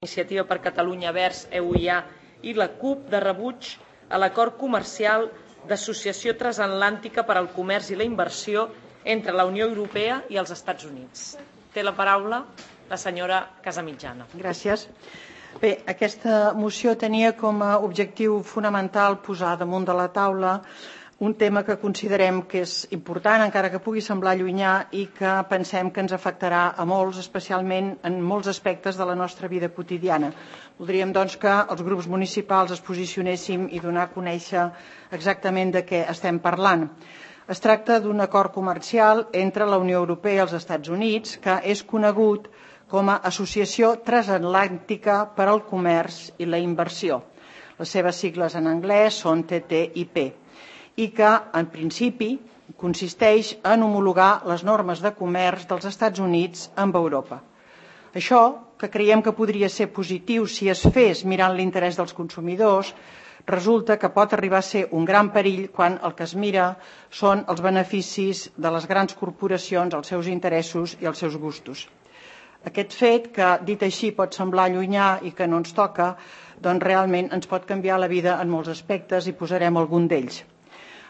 Iniciativa per Catalunya Verds, EUIA i la CUP de rebuig a l'acord comercial d'associació transatlàntica per al comerç i la inversió entre la Unió Europea i els Estats Units. Té la paraula la senyora Casamitjana. Gràcies. Bé, aquesta moció tenia com a objectiu fonamental posar damunt de la taula un tema que considerem que és important, encara que pugui semblar llunyà, i que pensem que ens afectarà a molts, especialment en molts aspectes de la nostra vida quotidiana. Voldríem, doncs, que els grups municipals es posicionéssim i donar a conèixer exactament de què estem parlant. Es tracta d'un acord comercial entre la Unió Europea i els Estats Units que és conegut com a Associació Transatlàntica per al Comerç i la Inversió. Les seves sigles en anglès són TTIP. I que, en principi, consisteix en homologar les normes de comerç dels Estats Units amb Europa. Això, que creiem que podria ser positiu si es fes mirant l'interès dels consumidors, resulta que pot arribar a ser un gran perill quan el que es mira són els beneficis de les grans corporacions, els seus interessos i els seus gustos. Aquest fet, que dit així pot semblar llunyà i que no ens toca, doncs realment ens pot canviar la vida en molts aspectes i posarem algun d'ells.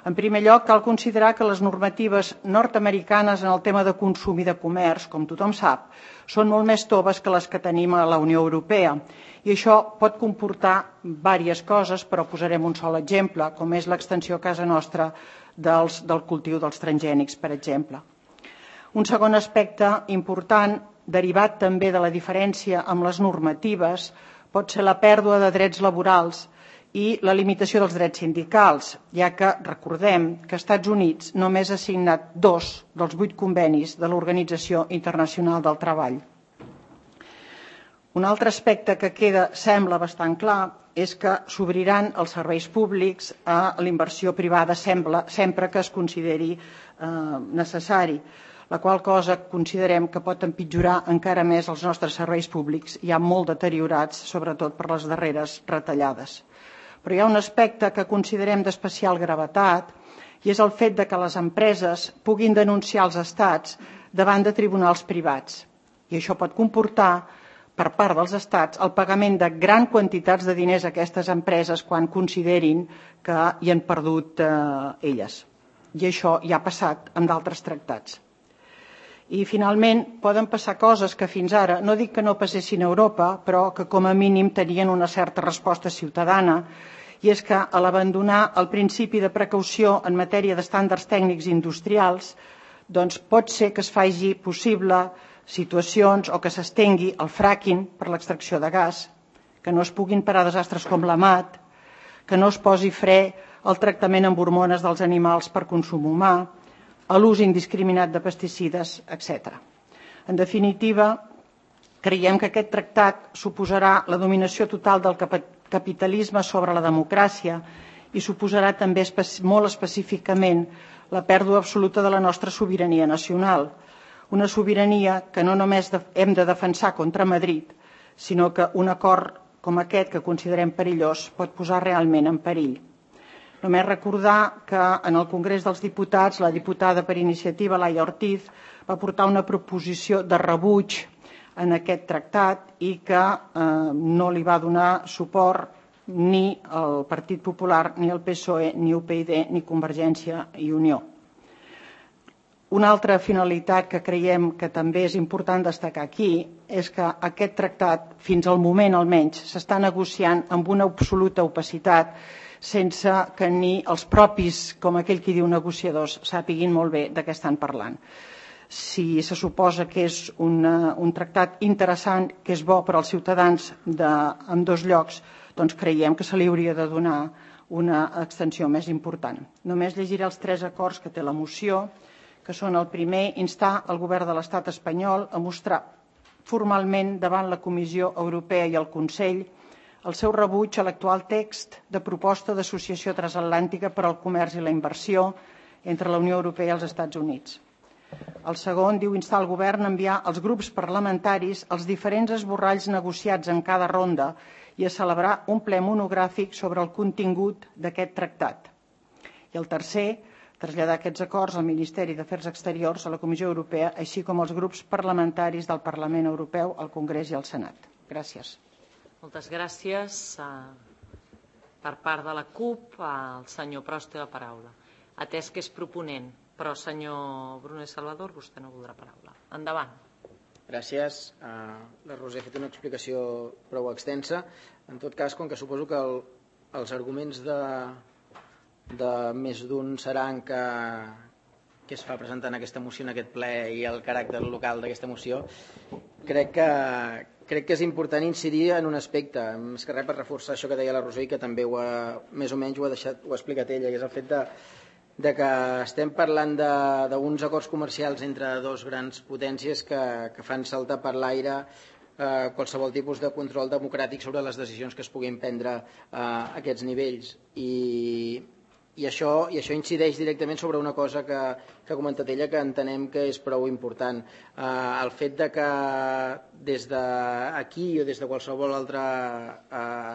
En primer lloc, cal considerar que les normatives nord-americanes en el tema de consum i de comerç, com tothom sap, són molt més toves que les que tenim a la Unió Europea. I això pot comportar diverses coses, però posarem un sol exemple, com és l'extensió a casa nostra del cultiu dels transgènics, per exemple. Un segon aspecte important, derivat també de la diferència amb les normatives, pot ser la pèrdua de drets laborals i la limitació dels drets sindicals, ja que recordem que Estats Units només ha signat 2 dels 8 convenis de l'Organització Internacional del Treball. Un altre aspecte que sembla bastant clar és que s'obriran els serveis públics a l'inversió privada sempre que es consideri necessari, la qual cosa considerem que pot empitjorar encara més els nostres serveis públics, ja molt deteriorats, sobretot per les darreres retallades. Però hi ha un aspecte que considerem d'especial gravetat i és el fet de que les empreses puguin denunciar els estats davant de tribunals privats. I això pot comportar, per part dels estats, el pagament de gran quantitats de diners a aquestes empreses quan considerin que hi han perdut elles. I això ja ha passat amb d'altres tractats. I, finalment, poden passar coses que fins ara, no dic que no passessin a Europa, però que com a mínim tenien una certa resposta ciutadana, i és que a l'abandonar el principi de precaució en matèria d'estàndards tècnics industrials, doncs pot ser que es faci possible situacions o que s'estengui el fracking per l'extracció de gas, que no es puguin parar desastres com l'AMAT, que no es posi fre al tractament amb hormones dels animals per consum humà, a l'ús indiscriminat de pesticides, etc. En definitiva, creiem que aquest tractat suposarà la dominació total del capitalisme sobre la democràcia i suposarà també molt específicament la pèrdua absoluta de la nostra sobirania nacional, una sobirania que no només hem de defensar contra Madrid, sinó que un acord com aquest, que considerem perillós, pot posar realment en perill. Només recordar que en el Congrés dels Diputats la diputada per iniciativa, Laia Ortiz, va portar una proposició de rebuig en aquest tractat i que no li va donar suport ni el Partit Popular, ni el PSOE, ni UPyD, ni Convergència i Unió. Una altra finalitat que creiem que també és important destacar aquí és que aquest tractat, fins al moment almenys, s'està negociant amb una absoluta opacitat sense que ni els propis, com aquell qui diu negociadors, sàpiguin molt bé de què estan parlant. Si se suposa que és un tractat interessant, que és bo per als ciutadans d'ambdós llocs, doncs creiem que se li hauria de donar una extensió més important. Només llegiré els 3 acords que té la moció, que són el primer, instar el govern de l'estat espanyol a mostrar formalment davant la Comissió Europea i el Consell el seu rebuig a l'actual text de proposta d'associació transatlàntica per al comerç i la inversió entre la Unió Europea i els Estats Units. El segon diu instar el govern a enviar als grups parlamentaris els diferents esborralls negociats en cada ronda i a celebrar un ple monogràfic sobre el contingut d'aquest tractat. I el tercer, traslladar aquests acords al Ministeri d'Afers Exteriors, a la Comissió Europea, així com als grups parlamentaris del Parlament Europeu, al Congrés i al Senat. Gràcies. Moltes gràcies. Per part de la CUP, el senyor Prost té la paraula. Atès que és proponent, però senyor Brunet Salvador, vostè no voldrà paraula. Endavant. Gràcies. La Roser ha fet una explicació prou extensa. En tot cas, com que suposo que els arguments de més d'un seran que es fa presentant aquesta moció en aquest ple i el caràcter local d'aquesta moció, crec que és important incidir en un aspecte, més que res per reforçar això que deia la Roser i que també més o menys ho ha explicat ella, que és el fet de que estem parlant d'uns acords comercials entre dos grans potències que fan saltar per l'aire qualsevol tipus de control democràtic sobre les decisions que es puguin prendre a aquests nivells. I això incideix directament sobre una cosa que ha comentat ella que entenem que és prou important. El fet de que des d'aquí o des de qualsevol altre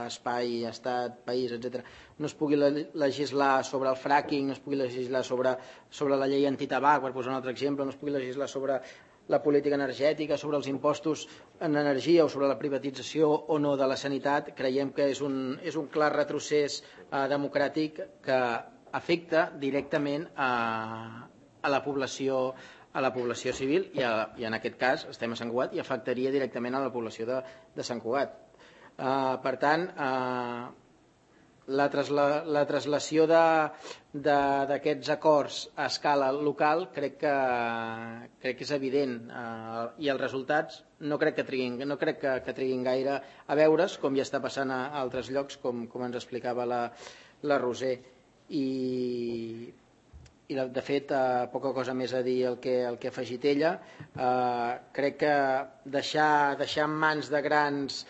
espai, estat, país, etc., no es pugui legislar sobre el fracking, no es pugui legislar sobre la llei antitabac, per posar un altre exemple, no es pugui legislar sobre la política energètica, sobre els impostos en energia o sobre la privatització o no de la sanitat, creiem que és un clar retrocés democràtic que afecta directament a la població civil i en aquest cas estem a Sant Cugat i afectaria directament a la població de Sant Cugat. Per tant, la traslació d'aquests acords a escala local crec que és evident i els resultats no crec que triguin gaire a veure's, com ja està passant a altres llocs, com ens explicava la Roser. I de fet, poca cosa més a dir el que ha afegit ella. Crec que deixar en mans de grans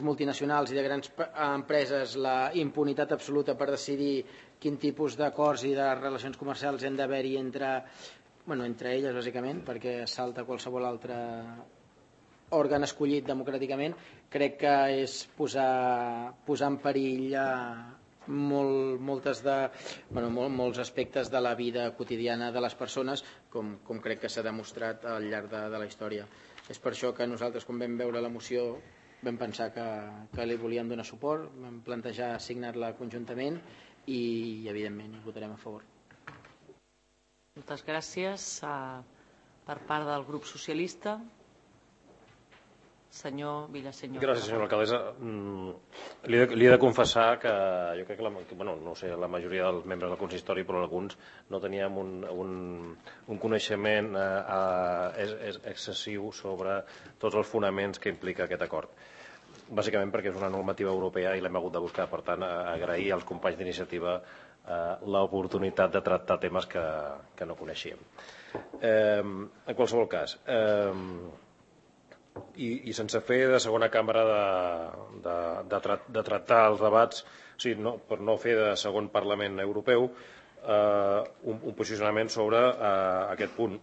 multinacionals i de grans empreses la impunitat absoluta per decidir quin tipus d'acords i de relacions comercials hem d'haver-hi entre elles, bàsicament, perquè salta qualsevol altre òrgan escollit democràticament, crec que és posar en perill molts aspectes de la vida quotidiana de les persones, com crec que s'ha demostrat al llarg de la història. És per això que nosaltres, quan vam veure la moció, vam pensar que li volíem donar suport, vam plantejar signar-la conjuntament i evidentment hi votarem a favor. Moltes gràcies. Per part del grup socialista, senyor Villaseñor. Gràcies, senyora alcaldessa. Li he de confessar que jo crec que no sé, la majoria dels membres del consistori, però alguns no teníem un coneixement excessiu sobre tots els fonaments que implica aquest acord. Bàsicament perquè és una normativa europea i l'hem hagut de buscar. Per tant, agrair als companys d'iniciativa l'oportunitat de tractar temes que no coneixíem. En qualsevol cas, i sense fer de segona càmera de tractar els debats, per no fer de segon Parlament Europeu, un posicionament sobre aquest punt.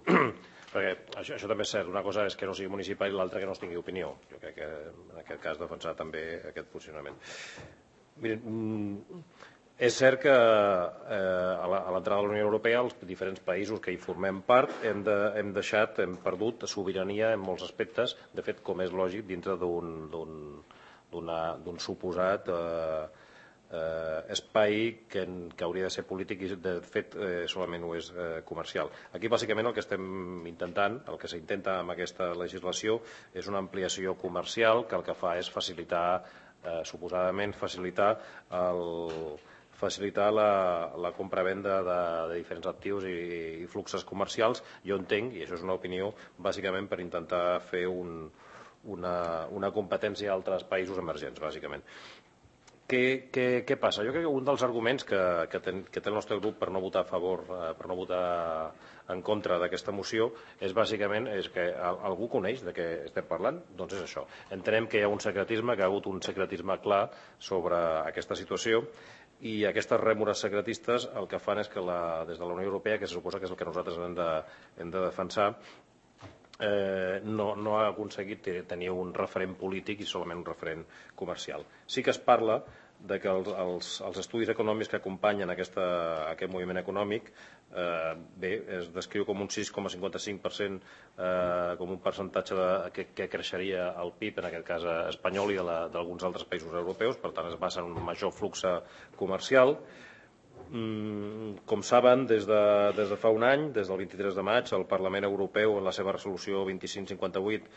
Perquè això també és cert, una cosa és que no sigui municipal i l'altra que no es tingui opinió. Jo crec que en aquest cas defensar també aquest posicionament. Miren, és cert que a l'entrada de la Unió Europea els diferents països que hi formem part hem perdut sobirania en molts aspectes, de fet, com és lògic, dintre d'un suposat espai que hauria de ser polític i de fet solament ho és comercial. Aquí bàsicament el que estem intentant, el que s'intenta amb aquesta legislació és una ampliació comercial que el que fa és suposadament facilitar la compravenda de diferents actius i fluxos comercials. Jo entenc, i això és una opinió, bàsicament per intentar fer una competència a altres països emergents, bàsicament. Què passa? Jo crec que un dels arguments que té el nostre grup per no votar a favor, per no votar en contra d'aquesta moció, és bàsicament que algú coneix de què estem parlant? Doncs és això. Entenem que hi ha un secretisme, que hi ha hagut un secretisme clar sobre aquesta situació, i aquestes rèmores secretistes el que fan és que des de la Unió Europea, que se suposa que és el que nosaltres hem de defensar, no ha aconseguit tenir un referent polític i solament un referent comercial. Sí que es parla que els estudis econòmics que acompanyen aquest moviment econòmic es descriu com un 6,55% com un percentatge que creixeria el PIB, en aquest cas espanyol i d'alguns altres països europeus, per tant es basa en un major flux comercial. Com saben, des de fa un any, des del 23 de maig, el Parlament Europeu, en la seva resolució 2558,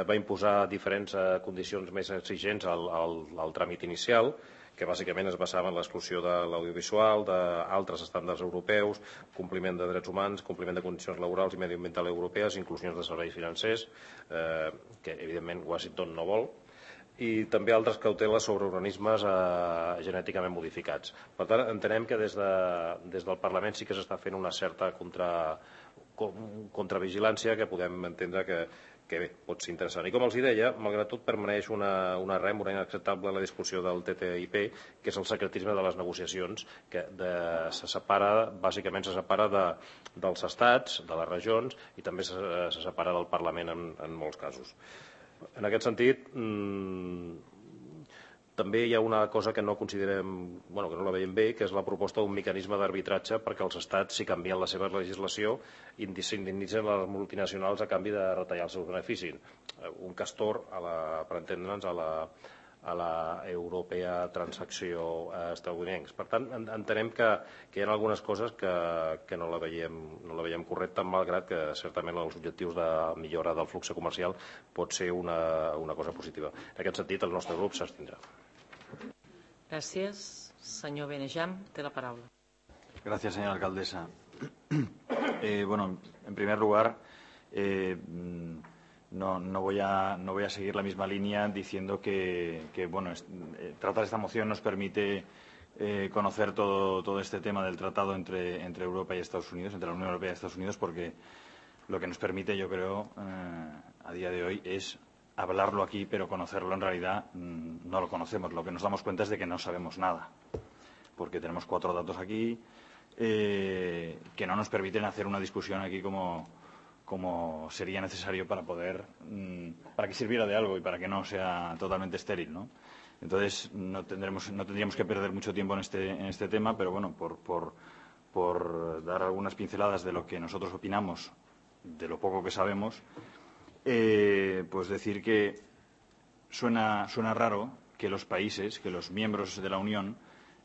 va imposar diferents condicions més exigents al tràmit inicial, que bàsicament es basava en l'exclusió de l'audiovisual, d'altres estàndards europeus, compliment de drets humans, compliment de condicions laborals i mediambientals europees, inclusions de serveis financers, que evidentment Washington no vol, i també altres cauteles sobre organismes genèticament modificats. Per tant, entenem que des del Parlament sí que s'està fent una certa contravigilància que podem entendre que bé, pot ser interessant. I com els deia, malgrat tot permaneix una rèmora inacceptable a la discussió del TTIP, que és el secretisme de les negociacions, que bàsicament se separa dels estats, de les regions, i també se separa del Parlament en molts casos. En aquest sentit, també hi ha una cosa que no considerem, que no la veiem bé, que és la proposta d'un mecanisme d'arbitratge perquè els estats, si canvien la seva legislació, s'indemnitzen les multinacionals a canvi de retallar els seus beneficis. Un castor, per entendre'ns, a la europea transacció estadounidencs. Per tant, entenem que hi ha algunes coses que no la veiem correcta, malgrat que certament els objectius de millora del flux comercial pot ser una cosa positiva. En aquest sentit, el nostre grup s'abstindrà. Gràcies. Senyor Benejam, té la paraula. Gracias, señora alcaldesa. En primer lugar, no voy a seguir la misma línea diciendo que tratar esta moción nos permite conocer todo este tema del tratado entre Europa y Estados Unidos, entre la Unión Europea y Estados Unidos, porque lo que nos permite, yo creo, a día de hoy es hablarlo aquí, pero conocerlo en realidad no lo conocemos. Lo que nos damos cuenta es de que no sabemos nada, porque tenemos 4 datos aquí que no nos permiten hacer una discusión aquí como sería necesario para que sirviera de algo y para que no sea totalmente estéril, ¿no? Entonces no tendríamos que perder mucho tiempo en este tema, pero bueno, por dar algunas pinceladas de lo que nosotros opinamos, de lo poco que sabemos, pues decir que suena raro que los países, que los miembros de la Unión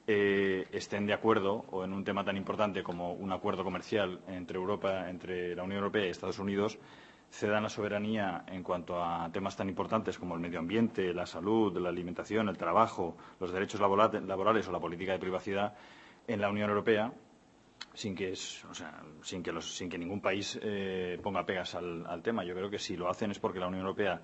estén de acuerdo o en un tema tan importante como un acuerdo comercial entre la Unión Europea y Estados Unidos, cedan la soberanía en cuanto a temas tan importantes como el medio ambiente, la salud, la alimentación, el trabajo, los derechos laborales o la política de privacidad en la Unión Europea, sin que ningún país ponga pegas al tema. Yo creo que si lo hacen es porque la Unión Europea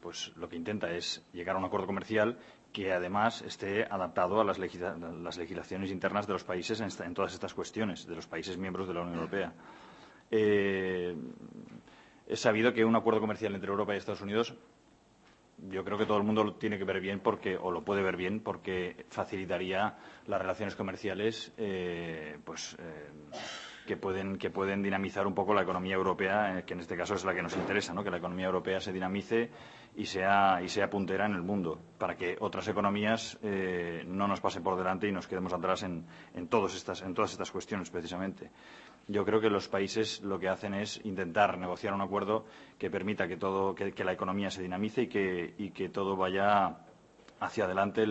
pues lo que intenta es llegar a un acuerdo comercial que además esté adaptado a las legislaciones internas de los países en todas estas cuestiones, de los países miembros de la Unión Europea. Es sabido que un acuerdo comercial entre Europa y Estados Unidos, yo creo que todo el mundo lo tiene que ver bien o lo puede ver bien porque facilitaría las relaciones comerciales que pueden dinamizar un poco la economía europea, que en este caso es la que nos interesa, ¿no? Que la economía europea se dinamice y sea puntera en el mundo, para que otras economías no nos pasen por delante y nos quedemos atrás en todas estas cuestiones, precisamente. Yo creo que los países lo que hacen es intentar negociar un acuerdo que permita que la economía se dinamice y que todo vaya hacia adelante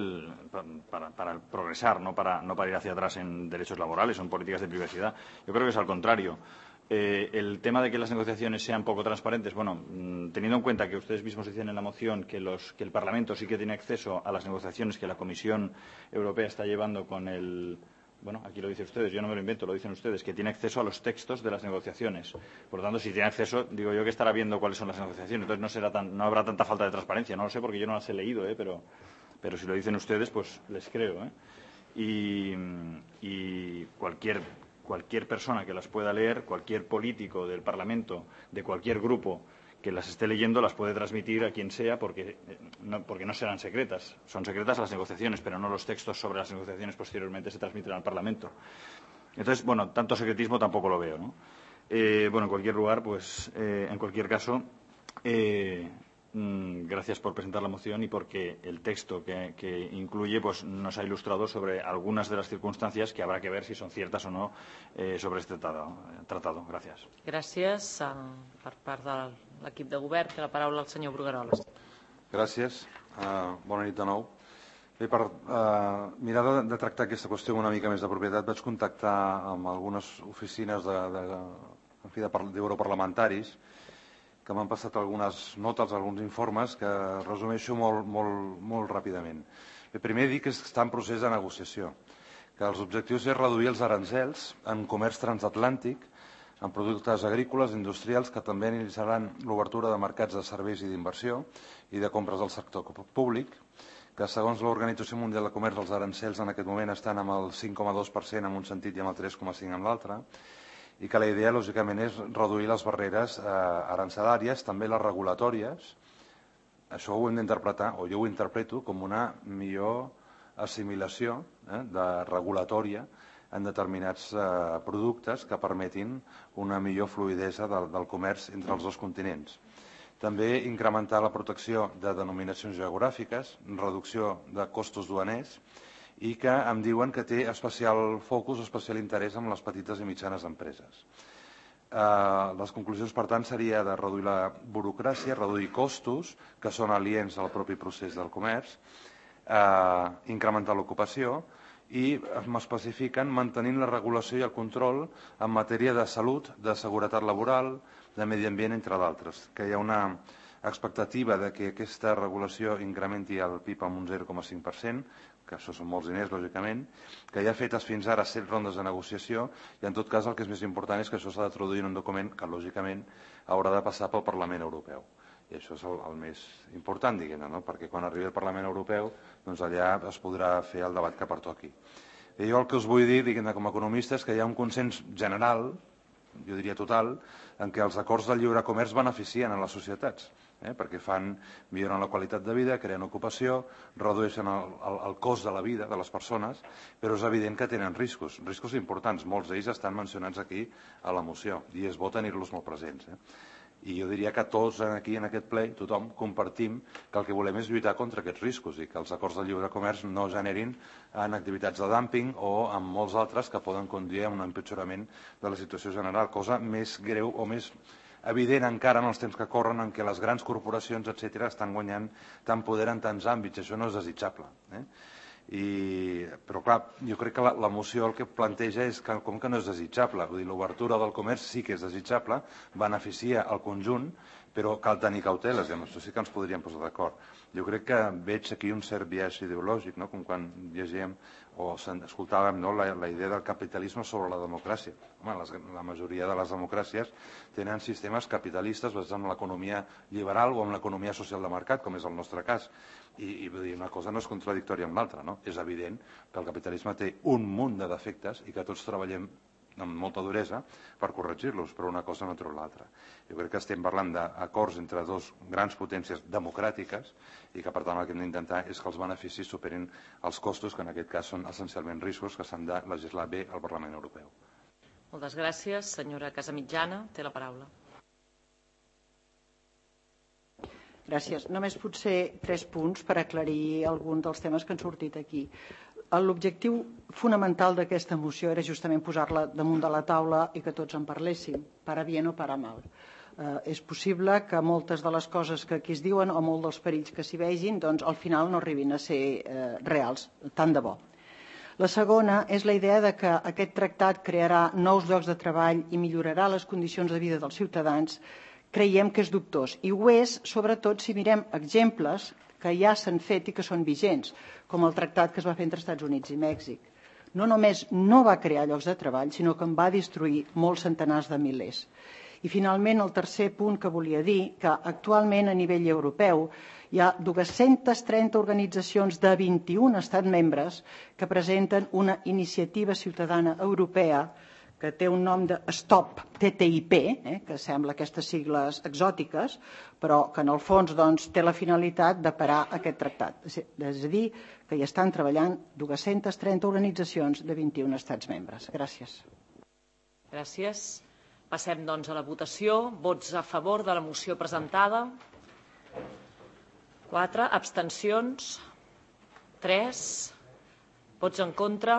para progresar, no para ir hacia atrás en derechos laborales o en políticas de privacidad. Yo creo que es al contrario. El tema de que las negociaciones sean poco transparentes, teniendo en cuenta que ustedes mismos dicen en la moción que el Parlamento sí que tiene acceso a las negociaciones que la Comisión Europea está llevando con el... aquí lo dicen ustedes, yo no me lo invento, lo dicen ustedes, que tiene acceso a los textos de las negociaciones. Por lo tanto, si tiene acceso, digo yo que estará viendo cuáles son las negociaciones. Entonces no habrá tanta falta de transparencia. No lo sé porque yo no las he leído, pero si lo dicen ustedes, pues les creo. Y cualquier persona que las pueda leer, cualquier político del Parlamento, de cualquier grupo que las esté leyendo, las puede transmitir a quien sea porque no serán secretas. Son secretas las negociaciones, pero no los textos sobre las negociaciones posteriormente se transmiten al Parlamento. Entonces, tanto secretismo tampoco lo veo, ¿no? En cualquier lugar, en cualquier caso, gracias por presentar la moción y porque el texto que incluye nos ha ilustrado sobre algunas de las circunstancias que habrá que ver si son ciertas o no sobre este tratado. Gràcies. Gràcies. Per part de l'equip de govern, té la paraula el senyor Brugueroles. Gràcies. Bona nit de nou. Bé, per mirar de tractar aquesta qüestió amb una mica més de propietat, vaig contactar amb algunes oficines d'europarlamentaris que m'han passat algunes notes, alguns informes que resumeixo molt ràpidament. Primer dir que està en procés de negociació, que els objectius és reduir els arancels en comerç transatlàntic, en productes agrícoles i industrials que també iniciaran l'obertura de mercats de serveis i d'inversió i de compres del sector públic, que segons l'Organització Mundial de Comerç els arancels en aquest moment estan amb el 5,2% en un sentit i amb el 3,5% en l'altre, i que la idea, lògicament, és reduir les barreres arancelàries, també les regulatòries. Això ho hem d'interpretar, o jo ho interpreto, com una millor assimilació regulatòria en determinats productes que permetin una millor fluïdesa del comerç entre els dos continents. També incrementar la protecció de denominacions geogràfiques, reducció de costos duaners, i que em diuen que té especial focus, especial interès en les petites i mitjanes empreses. Les conclusions, per tant, seria de reduir la burocràcia, reduir costos, que són aliens al propi procés del comerç, incrementar l'ocupació i m'especifiquen mantenint la regulació i el control en matèria de salut, de seguretat laboral, de medi ambient, entre d'altres, que hi ha una expectativa de que aquesta regulació incrementi el PIB amb un 0,5%, que això són molts diners, lògicament, que hi ha fetes fins ara 7 rondes de negociació i, en tot cas, el que és més important és que això s'ha de traduir en un document que, lògicament, haurà de passar pel Parlament Europeu. I això és el més important, diguem-ne, no? Perquè quan arribi al Parlament Europeu, doncs allà es podrà fer el debat que pertoqui. I jo el que us vull dir, diguem-ne, com a economista, és que hi ha un consens general, jo diria total, en què els acords de lliure comerç beneficien a les societats, perquè milloren la qualitat de vida, creen ocupació, redueixen el cost de la vida de les persones, però és evident que tenen riscos importants. Molts d'ells estan mencionats aquí a la moció i és bo tenir-los molt presents. I jo diria que tots aquí en aquest ple, tothom, compartim que el que volem és lluitar contra aquests riscos i que els acords de lliure comerç no generin en activitats de dúmping o en molts altres que poden conduir a un empitjorament de la situació general, cosa més greu o més evident encara en els temps que corren en què les grans corporacions, etc., estan guanyant tant poder en tants àmbits. Això no és desitjable. Però, clar, jo crec que la moció el que planteja és que com que no és desitjable, vull dir, l'obertura del comerç sí que és desitjable, beneficia el conjunt, però cal tenir cauteles, i amb això sí que ens podríem posar d'acord. Jo crec que veig aquí un cert biaix ideològic, com quan llegíem o escoltàvem la idea del capitalisme sobre la democràcia. La majoria de les democràcies tenen sistemes capitalistes basats en l'economia liberal o en l'economia social de mercat, com és el nostre cas. I una cosa no és contradictòria amb l'altra. És evident que el capitalisme té un munt de defectes i que tots treballem amb molta duresa per corregir-los, però una cosa no treu l'altra. Jo crec que estem parlant d'acords entre dos grans potències democràtiques i que, per tant, el que hem d'intentar és que els beneficis superin els costos, que en aquest cas són essencialment riscos que s'han de legislar bé al Parlament Europeu. Moltes gràcies. Senyora Casamitjana, té la paraula. Gràcies. Només potser 3 punts per aclarir alguns dels temes que han sortit aquí. L'objectiu fonamental d'aquesta moció era justament posar-la damunt de la taula i que tots en parléssim, para bien o para mal. És possible que moltes de les coses que aquí es diuen o molts dels perills que s'hi vegin, doncs al final no arribin a ser reals, tant de bo. La segona és la idea de que aquest tractat crearà nous llocs de treball i millorarà les condicions de vida dels ciutadans. Creiem que és dubtós, i ho és sobretot si mirem exemples que ja s'han fet i que són vigents, com el tractat que es va fer entre Estats Units i Mèxic. No només no va crear llocs de treball, sinó que en va destruir molts centenars de milers. I finalment, el tercer punt que volia dir, que actualment a nivell europeu hi ha 230 organitzacions de 21 estats membres que presenten una iniciativa ciutadana europea que té un nom de Stop TTIP, que sembla aquestes sigles exòtiques, però que en el fons té la finalitat de parar aquest tractat. És a dir, que hi estan treballant 230 organitzacions de 21 estats membres. Gràcies. Gràcies. Passem, doncs, a la votació. Vots a favor de la moció presentada. 4. Abstencions? 3. Vots en contra?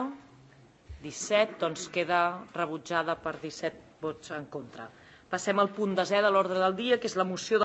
17. Doncs queda rebutjada per 17 vots en contra. Passem al punt 10è de l'ordre del dia, que és la moció